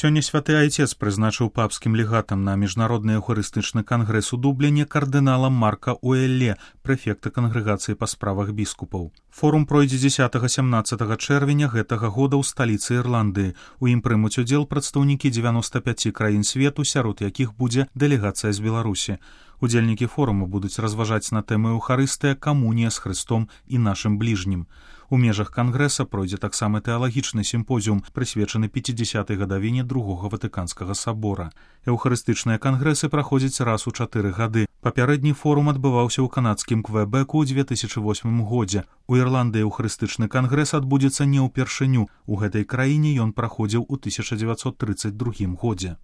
Сёння святы айцец прызначыў папскім легатам на міжнародны эўхарыстычны кангрэс у Дубліне кардынала Марка Уэлле, прэфекта кангрэгацыі па справах біскупаў. Форум пройдзе 10-17 чэрвеня гэтага года ў сталіцы Ірландыі. У ім прымуць удзел прадстаўнікі 95 краін свету, сярод якіх будзе дэлегацыя з Беларусі. Удзельнікі форуму будуць разважаць на тэмы Эўхарыстыя, камунія з Хрыстом і нашым бліжнім. У межах кангрэса пройдзе таксама тэалагічны сімпозіум, прысвечаны 50-й гадавіне Другога Ватыканскага сабора. Эўхарыстычныя кангрэсы праходзяць раз у 4 гады. Папярэдні форум адбываўся ў канадскім Квэбэку ў 2008 годзе. У Ірландыі эўхарыстычны кангрэс адбудзецца не ўпершыню. У гэтай краіне ён праходзіў у 1932 годзе.